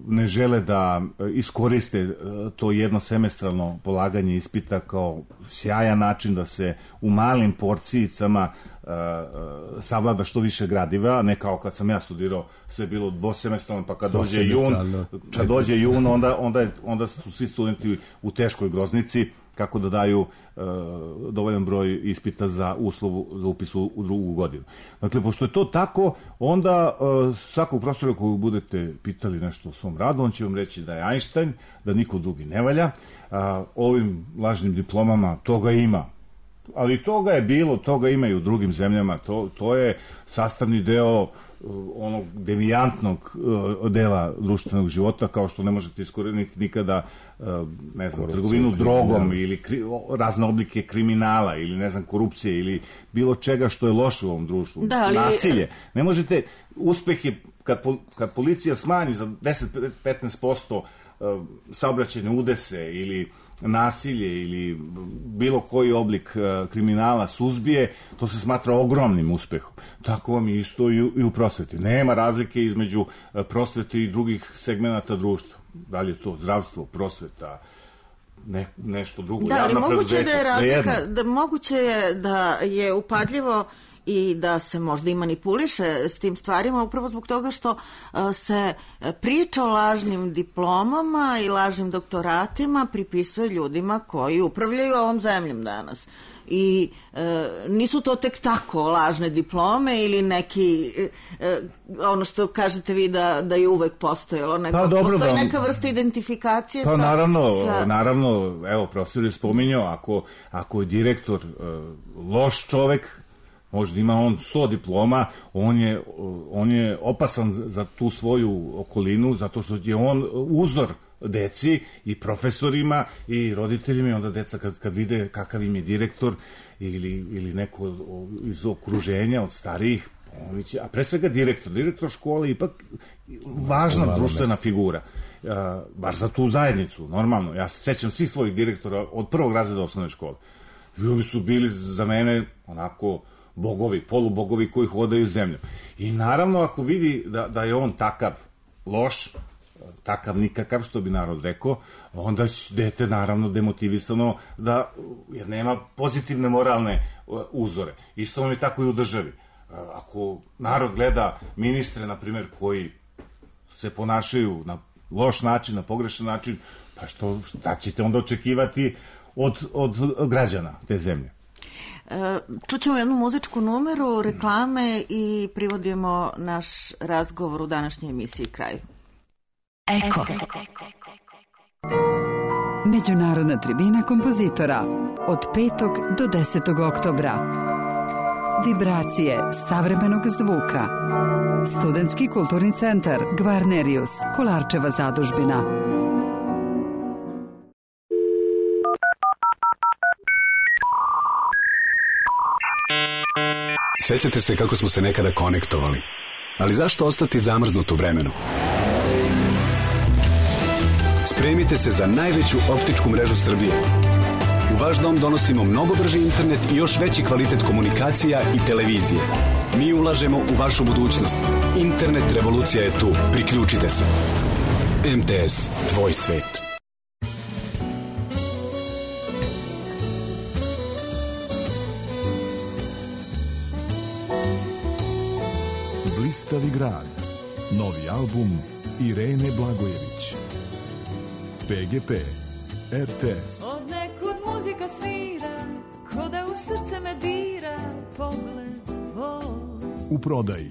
ne žele da iskoriste uh, to jednosemestralno polaganje ispita kao sjajan način da se u malim porcijicama Uh, uh, savlada što više gradiva, ne kao kad sam ja studirao, sve bilo dvosemestralno, pa kad dođe jun, kad dođe jun, onda, onda, je, onda su svi studenti u teškoj groznici, kako da daju uh, dovoljan broj ispita za uslovu za upis u, u drugu godinu. Dakle, pošto je to tako, onda uh, svakog profesora koju budete pitali nešto o svom radu, on će vam reći da je Einstein, da niko drugi ne valja. Uh, ovim lažnim diplomama toga ima, ali toga je bilo, toga ima i u drugim zemljama, to, to je sastavni deo onog devijantnog uh, dela društvenog života, kao što ne možete iskoreniti nikada uh, ne znam, korupcija, trgovinu drogom ili kri, razne oblike kriminala ili ne znam, korupcije ili bilo čega što je loše u ovom društvu. Da, ali... Nasilje. Ne možete, uspeh je kad, kad policija smanji za deset do petnaest posto uh, saobraćajne udese ili nasilje ili bilo koji oblik uh, kriminala suzbije, to se smatra ogromnim uspehom. Tako vam je isto i u, i u prosveti. Nema razlike između uh, prosvete i drugih segmenata društva. Da li je to zdravstvo, prosveta, ne, nešto drugo. Da, ali moguće da je razlika, da, moguće je da je upadljivo i da se možda i manipuliše s tim stvarima upravo zbog toga što se priča o lažnim diplomama i lažnim doktoratima pripisuje ljudima koji upravljaju ovom zemljom danas. I e, nisu to tek tako lažne diplome ili neki e, ono što kažete vi da, da je uvek postojalo, nego pa, dobro, postoji neka vrsta identifikacije. Pa sa, naravno, sa... naravno, evo profesor je spominjao, ako, ako je direktor e, loš čovek, možda ima on sto diploma, on je, on je opasan za tu svoju okolinu, zato što je on uzor deci i profesorima i roditeljima, i onda deca kad, kad vide kakav im je direktor ili, ili neko iz okruženja od starijih, će, a pre svega direktor, direktor škole je ipak važna no, društvena mesta. figura, uh, baš za tu zajednicu, normalno. Ja se sećam svih svojih direktora od prvog razreda osnovne škole. I oni su bili za mene onako bogovi, polubogovi koji hodaju zemljom. I naravno, ako vidi da, da je on takav loš, takav nikakav, što bi narod rekao, onda će dete naravno demotivisano, da, jer nema pozitivne moralne uzore. Isto vam je tako i u državi. Ako narod gleda ministre, na primjer, koji se ponašaju na loš način, na pogrešan način, pa što, šta ćete onda očekivati od, od građana te zemlje? Čućemo jednu muzičku numeru, reklame i privodimo naš razgovor u današnjoj emisiji kraju. Eko. Međunarodna tribina kompozitora od petog do desetog oktobra. Vibracije savremenog zvuka. Studentski kulturni centar Gvarnerius, Kolarčeva zadužbina. Sećate se kako smo se nekada konektovali, ali zašto ostati zamrznut u vremenu? Spremite se za najveću optičku mrežu Srbije. U vaš dom donosimo mnogo brži internet i još veći kvalitet komunikacija i televizije. Mi ulažemo u vašu budućnost. Internet revolucija je tu. Priključite se. M T S, tvoj svet. Blistavi grad. Novi album Irene Blagojević. P G P, R T S. Od nekud muzika svira, ko da u srce me dira, pogled tvoj. U prodaji.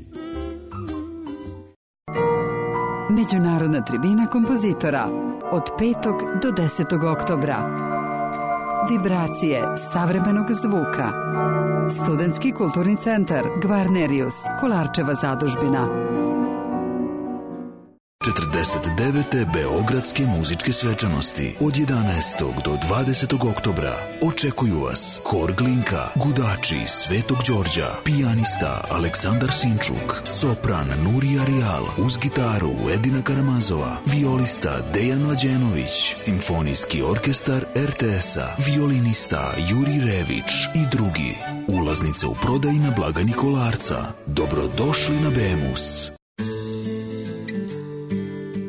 Međunarodna tribina kompozitora od petog do desetog oktobra. Vibracije savremenog zvuka. Studentski kulturni centar Gvarnerius, Kolarčeva zadužbina. četrdeset devete Beogradske muzičke svečanosti od jedanaestog do dvadesetog oktobra. Očekuju vas Hor Glinka, Gudači Svetog Đorđa, pijanista Aleksandar Sinčuk, sopran Nurija Rijal, uz gitaru Edina Karamazova, violista Dejan Mlađenović, simfonijski orkestar R T S-a, violinista Juri Rević i drugi. Ulaznice u prodaji na blagajni Kolarca. Dobrodošli na Bemus.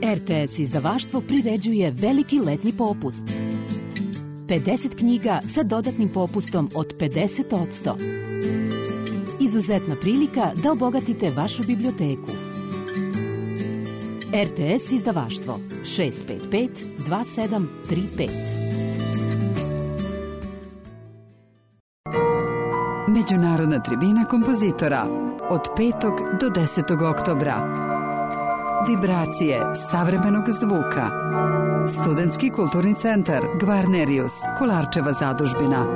R T S izdavaštvo priređuje veliki letnji popust. pedeset knjiga sa dodatnim popustom od pedeset posto. Izuzetna prilika da obogatite vašu biblioteku. R T S izdavaštvo šest pet pet dva sedam tri pet. Međunarodna tribina kompozitora od petog do desetog oktobra. Vibracije savremenog zvuka. Studentski kulturni centar Gvarnerius, Kolarčeva zadužbina.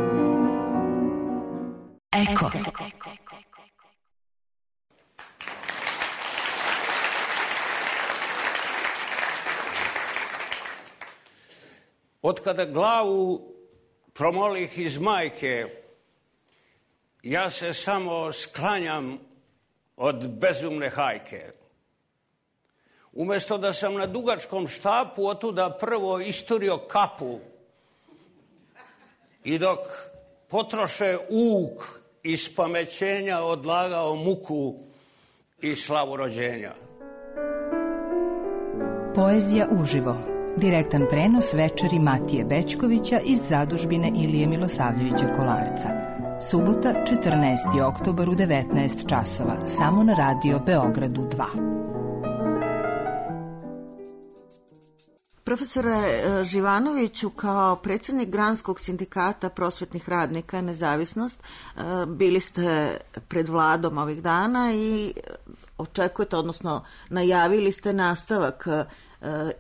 Eko. Od kada glavu promolih iz majke, ja se samo sklanjam od bezumne hajke. Umesto da sam na dugačkom štapu otuda prvo isturio kapu i dok potroše uk iz pamećenja odlagao muku i slavu rođenja. Poezija uživo. Direktan prenos večeri Matije Bećkovića iz zadužbine Ilije Milosavljevića Kolarca. Subota, četrnaesti oktobar u devetnaest časova, samo na radio Beogradu dva. Profesore Živanoviću, kao predsjednik Granskog sindikata prosvetnih radnika Nezavisnost, bili ste pred vladom ovih dana i očekujete, odnosno najavili ste nastavak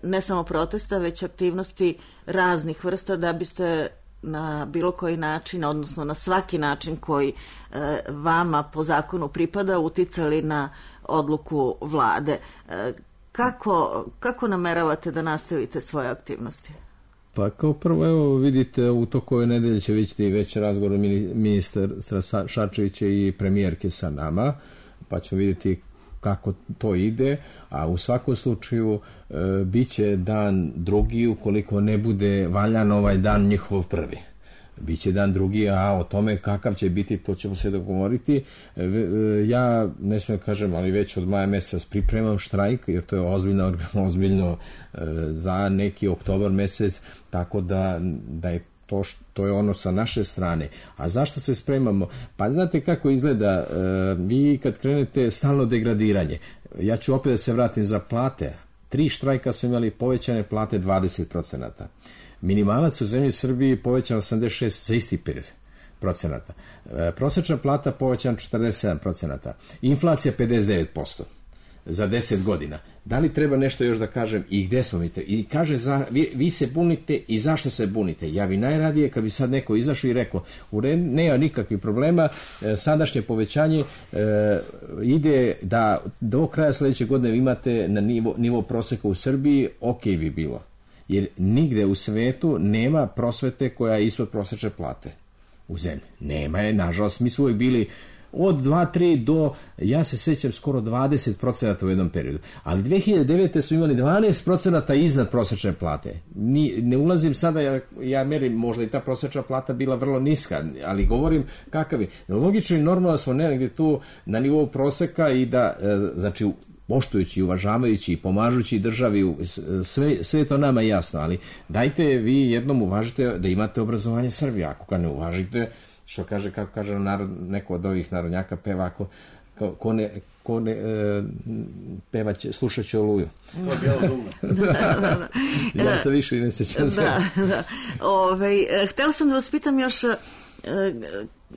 ne samo protesta, već aktivnosti raznih vrsta da biste na bilo koji način, odnosno na svaki način koji vama po zakonu pripada, uticali na odluku vlade. Kako, kako nameravate da nastavite svoje aktivnosti? Pa kao prvo, evo vidite, u toku ove nedelje će vidjeti već razgovor ministra Šarčevića i premijerke sa nama, pa ćemo vidjeti kako to ide, a u svakom slučaju e, bit će dan drugi, ukoliko ne bude valjan ovaj dan njihov prvi. Biće dan drugi, a o tome kakav će biti, to ćemo se dogovoriti. E, e, ja, ne smijem kažem, ali već od maja mjeseca pripremam štrajk, jer to je ozbiljno, ozbiljno e, za neki oktobar mjesec, tako da, da je To, to je ono sa naše strane. A zašto se spremamo? Pa znate kako izgleda, e, vi kad krenete stalno degradiranje, ja ću opet da se vratim za plate. Tri štrajka su imali povećane plate dvadeset procenata. Minimalac u zemlji Srbiji povećan osamdeset šest za isti period procenata. E, prosječna plata povećan četrdeset sedam procenata. Inflacija pedeset devet posto. Za deset godina. Da li treba nešto još da kažem i gde smo mi te? I kaže, za, vi, vi se bunite i zašto se bunite? Ja bi najradije kad bi sad neko izašao i rekao, u red, nema nikakvih problema, e, sadašnje povećanje e, ide da do kraja sljedeće godine imate na nivo, nivo proseka u Srbiji, ok bi bilo. Jer nigde u svetu nema prosvete koja je ispod prosječne plate u zemlji. Nema je, nažalost, mi smo uvijek bili od dva tri do, ja se sjećam, skoro dvadeset procenata u jednom periodu. Ali dve hiljade devete su imali dvanaest procenata iznad prosječne plate. Ni, ne ulazim sada, ja, ja merim, možda i ta prosječna plata bila vrlo niska, ali govorim kakav je. Logično i normalno smo negdje tu na nivou proseka i da, znači, poštujući, uvažavajući i pomažući državi, sve, sve to nama jasno, ali dajte vi jednom uvažite da imate obrazovanje Srbije, ako ga ne uvažite, što kaže, kako kaže narod, neko od ovih narodnjaka peva, ako, ko, ko ne, ko ne e, peva će, slušat će Oluju. To je bijelo dugme. da, da, da. Ja se više i ne sjećam sve. Da, da. Ove, htjela sam da vas pitam još,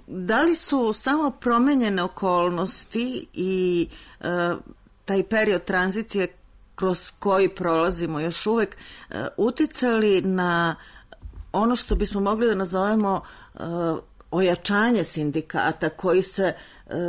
da li su samo promenjene okolnosti i e, taj period tranzicije kroz koji prolazimo još uvek e, uticali na ono što bismo mogli da nazovemo e, ojačanje sindikata koji se e,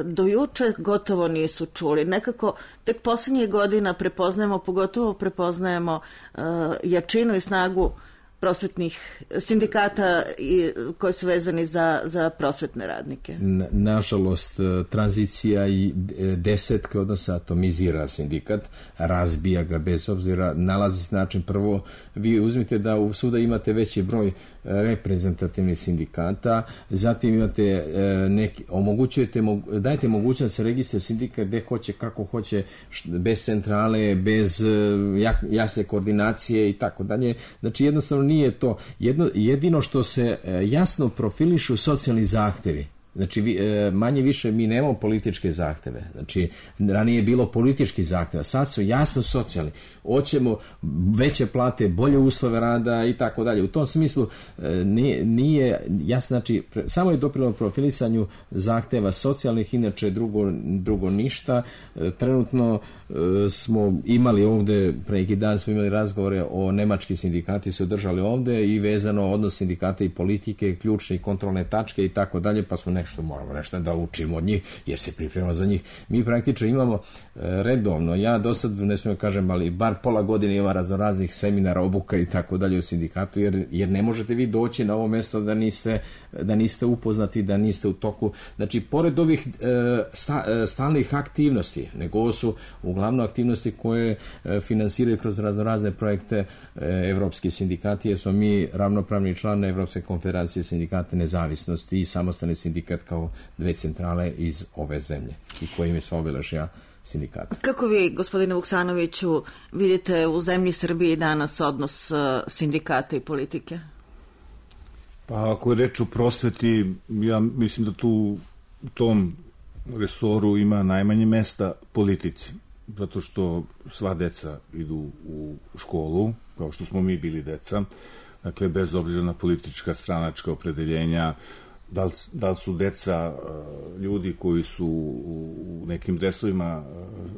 do juče gotovo nisu čuli. Nekako tek posljednjih godina prepoznajemo, pogotovo prepoznajemo e, jačinu i snagu prosvetnih sindikata i, koji su vezani za, za prosvetne radnike. Na, nažalost, tranzicija i desetke odnosa atomizira sindikat, razbija ga bez obzira, nalazi se način. Prvo, vi uzmite da u suda imate veći broj reprezentativnih sindikata, zatim imate e, neki, omogućujete, dajete mogućnost da se registruje sindikat gde hoće, kako hoće, bez centrale, bez jak, jasne koordinacije i tako dalje. Znači jednostavno nije to. Jedno, jedino što se e, jasno profilišu socijalni zahtevi. Znači, vi, e, manje više mi nemamo političke zahteve. Znači, ranije je bilo politički zahteva, sad su jasno socijalni. Hoćemo veće plate, bolje uslove rada i tako dalje. U tom smislu e, nije, nije jasno, znači, pre, samo je doprinelo profilisanju zahteva socijalnih, inače drugo, drugo ništa. E, trenutno e, smo imali ovde, pre neki dan smo imali razgovore o nemački sindikati su održali ovde i vezano odnos sindikata i politike, ključne i kontrolne tačke i tako dalje, pa smo ne nešto, moramo nešto da učimo od njih, jer se priprema za njih. Mi praktično imamo redovno, ja do sad, ne smijem kažem, ali bar pola godine ima raznoraznih seminara, obuka i tako dalje u sindikatu, jer, jer ne možete vi doći na ovo mesto da niste, da niste upoznati, da niste u toku. Znači, pored ovih sta, stalnih aktivnosti, nego ovo su uglavnom aktivnosti koje finansiraju kroz raznorazne projekte evropski sindikati, jer smo mi ravnopravni član Evropske konfederacije sindikata nezavisnosti i samostalni sindikat kao dve centrale iz ove zemlje i koji im je sva obeležja sindikata. Kako vi, gospodine Vuksanoviću, vidite u zemlji Srbiji danas odnos sindikata i politike? Pa ako je reč o prosveti, ja mislim da tu u tom resoru ima najmanje mesta politici, zato što sva deca idu u školu, kao što smo mi bili deca, dakle, bez obzira na politička, stranačka opredeljenja, da li, da li su deca ljudi koji su u nekim dresovima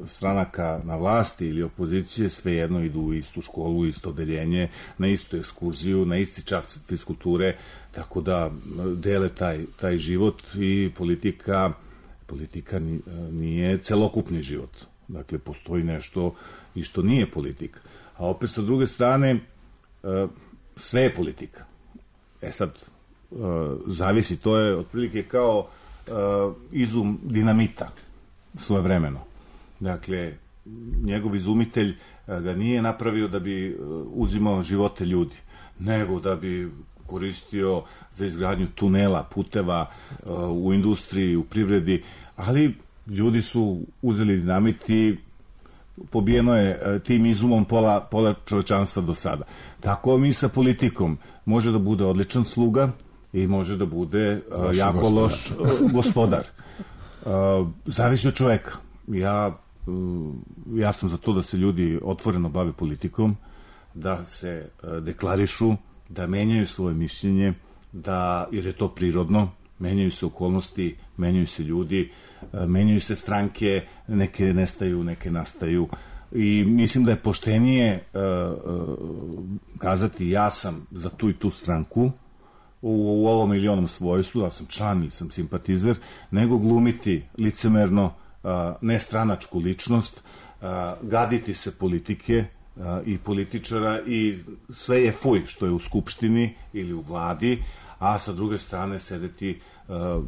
stranaka na vlasti ili opozicije, svejedno idu u istu školu, u isto odeljenje, na istu ekskurziju, na isti čas fiskulture, tako da dele taj, taj život i politika, politika nije celokupni život. Dakle, postoji nešto i što nije politika. A opet, sa druge strane, sve je politika. E sad, zavisi, to je otprilike kao izum dinamita svojevremeno. Dakle, njegov izumitelj ga nije napravio da bi uzimao živote ljudi, nego da bi koristio za izgradnju tunela, puteva u industriji, u privredi, ali ljudi su uzeli dinamit i pobijeno je tim izumom pola, pola čovečanstva do sada. Tako mi sa politikom može da bude odličan sluga i može da bude uh, jako gospodar. loš uh, gospodar. Uh, zavisi od čoveka. Ja, uh, ja sam za to da se ljudi otvoreno bave politikom, da se uh, deklarišu, da menjaju svoje mišljenje, da, jer je to prirodno, menjaju se okolnosti, menjaju se ljudi, menjaju se stranke, neke nestaju, neke nastaju. I mislim da je poštenije uh, uh, kazati ja sam za tu i tu stranku u, u ovom ili onom svojstvu, da sam član ili sam simpatizer, nego glumiti licemerno uh, nestranačku ličnost, uh, gaditi se politike uh, i političara i sve je fuj što je u skupštini ili u vladi, a sa druge strane sedeti uh,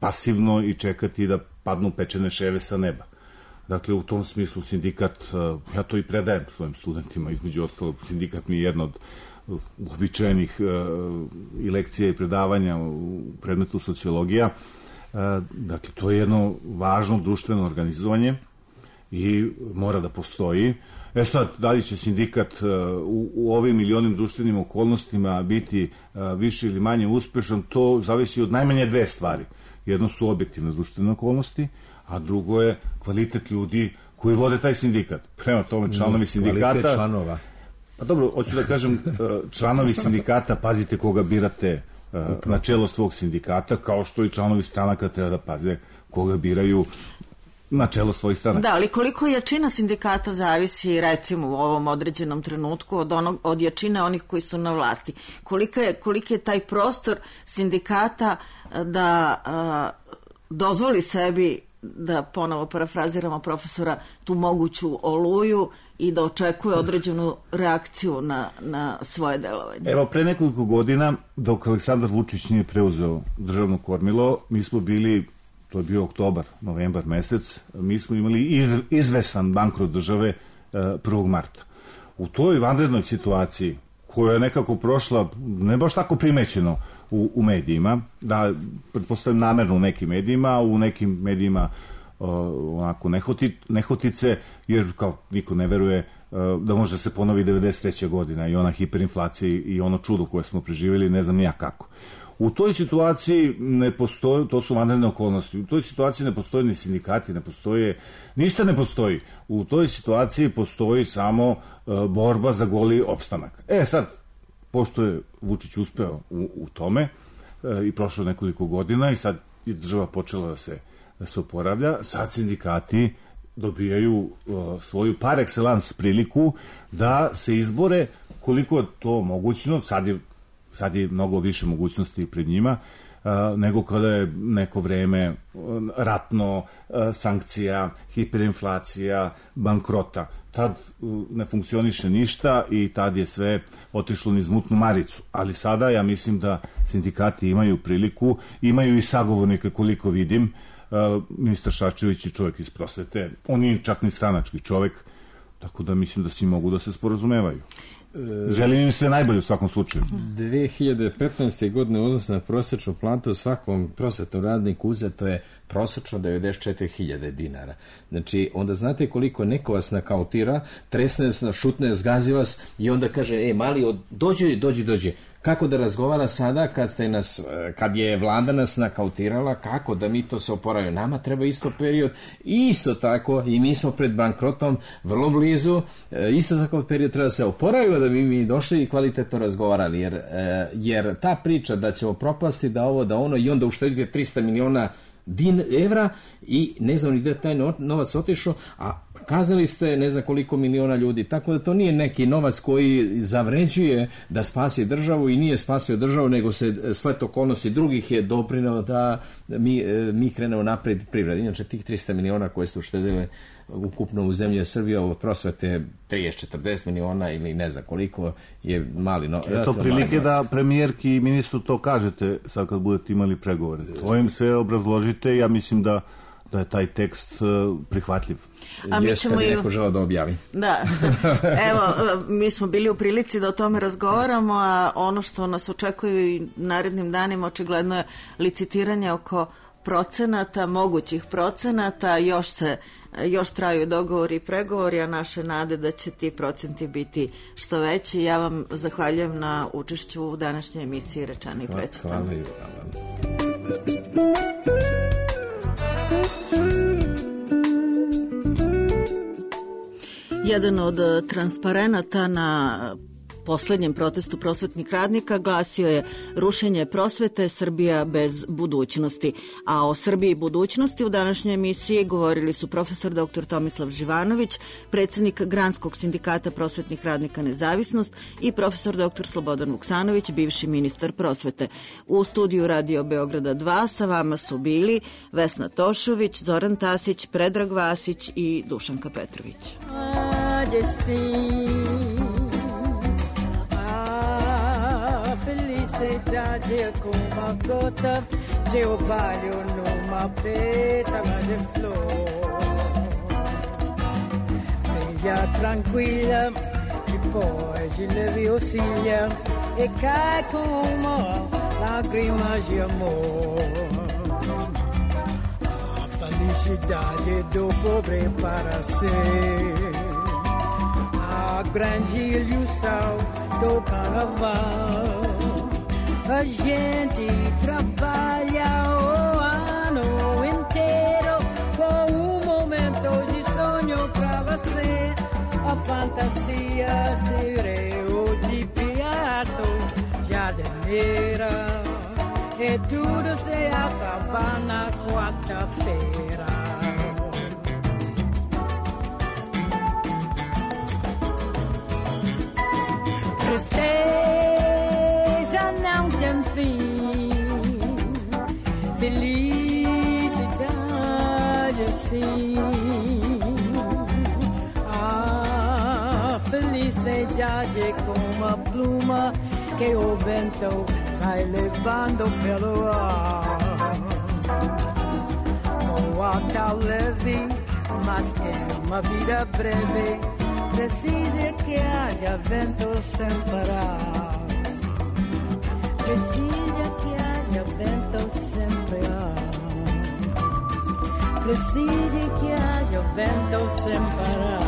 pasivno i čekati da padnu pečene ševe sa neba. Dakle, u tom smislu sindikat, uh, ja to i predajem svojim studentima, između ostalog, sindikat mi je jedna od uobičajenih uh, i lekcija i predavanja u predmetu sociologija. Uh, dakle, to je jedno važno društveno organizovanje i mora da postoji. E sad, da li će sindikat uh, u, u ovim ili onim društvenim okolnostima biti uh, više ili manje uspešan, to zavisi od najmanje dve stvari. Jedno su objektivne društvene okolnosti, a drugo je kvalitet ljudi koji vode taj sindikat. Prema tome, članovi sindikata... Kvalitet članova. Pa dobro, hoću da kažem, članovi sindikata, pazite koga birate uh, na čelo svog sindikata, kao što i članovi stranaka treba da paze koga biraju na čelo svojih stranaka. Da, ali koliko jačina sindikata zavisi, recimo, u ovom određenom trenutku od, onog, od jačine onih koji su na vlasti. Kolika je, koliki je taj prostor sindikata da a, dozvoli sebi, da ponovo parafraziramo profesora, tu moguću oluju i da očekuje određenu reakciju na, na svoje delovanje. Evo, pre nekoliko godina, dok Aleksandar Vučić nije preuzeo državno kormilo, mi smo bili, to je bio oktobar, novembar mesec, mi smo imali iz, izvesan bankrot države prvog marta. U toj vanrednoj situaciji, koja je nekako prošla, ne baš tako primećeno u, u medijima, da pretpostavljam namerno u nekim medijima, u nekim medijima uh, onako nehoti, nehotice, jer kao niko ne veruje uh, da može da se ponovi devedeset treća godina i ona hiperinflacija i ono čudo koje smo preživjeli, ne znam nija kako. U toj situaciji ne postoje, to su vanredne okolnosti, u toj situaciji ne postoje ni sindikati, ne postoje, ništa ne postoji. U toj situaciji postoji samo uh, borba za goli opstanak. E sad, pošto je Vučić uspeo u, u tome uh, i prošlo nekoliko godina i sad je država počela da se, da se oporavlja, sad sindikati dobijaju uh, svoju par excellence priliku da se izbore koliko je to mogućno, sad je sad je mnogo više mogućnosti pred njima, nego kada je neko vreme ratno, sankcija, hiperinflacija, bankrota. Tad ne funkcioniše ništa i tad je sve otišlo niz mutnu maricu. Ali sada ja mislim da sindikati imaju priliku, imaju i sagovornike koliko vidim. Ministar Šarčević je čovjek iz prosvete, on nije čak ni stranački čovjek, tako da mislim da svi mogu da se sporazumevaju. Želim im sve najbolje u svakom slučaju. dve hiljade petnaeste. godine odnosno na prosječnu platu svakom prosvetnom radniku uzeto je prosečno devedeset četiri hiljade dinara. Znači, onda znate koliko neko vas nakautira, tresne vas, šutne, zgazi vas i onda kaže, e, mali, dođi, dođi, dođi. Kako da razgovara sada kad ste nas, kad je vlada nas nakautirala, kako da mi to se oporavimo? Nama treba isto period, isto tako i mi smo pred bankrotom vrlo blizu, isto tako period treba se oporavimo da bi mi došli i kvalitetno razgovarali, jer, jer ta priča da ćemo propasti, da ovo, da ono i onda uštedite trista miliona din evra i ne znam ni gde taj novac otišao, a kazali ste ne znam koliko miliona ljudi, tako da to nije neki novac koji zavređuje da spasi državu i nije spasio državu, nego se splet okolnosti drugih je doprineo da mi, mi krenemo napred privredi. Inače, tih trista miliona koje ste uštedili ukupno u zemlji Srbije od prosvete trideset četrdeset miliona ili ne znam koliko je mali novac. Eto prilike da premijerki i ministru to kažete sad kad budete imali pregovore. To im sve obrazložite, ja mislim da da je taj tekst uh, prihvatljiv. A mi ćemo i neko želeo da objavi. Da. Evo, mi smo bili u prilici da o tome razgovaramo, a ono što nas očekuje i narednim danima očigledno je licitiranje oko procenata, mogućih procenata, još se još traju dogovori i pregovori, a naše nade da će ti procenti biti što veći. Ja vam zahvaljujem na učešću u današnjoj emisiji Rečani i Prećutani. Hvala i hvala. Jedan od transparenata na poslednjem protestu prosvetnih radnika glasio je rušenje prosvete, Srbija bez budućnosti. A o Srbiji i budućnosti u današnjoj emisiji govorili su profesor doktor Tomislav Živanović, predsjednik Granskog sindikata prosvetnih radnika Nezavisnost i profesor doktor Slobodan Vuksanović, bivši ministar prosvete. U studiju Radio Beograda dva sa vama su bili Vesna Tošović, Zoran Tasić, Predrag Vasić i Dušanka Petrović. Felicidade é como uma gota de orvalho numa pétala de flor. Brilha tranquila, depois de leve oscila e cai como lágrimas de amor. A felicidade do pobre para ser a grande ilusão do carnaval. A gente trabalha o ano inteiro com um momento de sonho pra você. A fantasia de Rio de Piato, Jardineira, e tudo se acaba na quarta-feira. Tristeza não tem fim, felicidade assim. A felicidade é como uma pluma que o vento vai levando pelo ar. Voa tão leve, mas tem uma vida breve. Precisa que haja vento sem parar. Precisa que haja vento sem parar. Precisa que haja vento sem parar.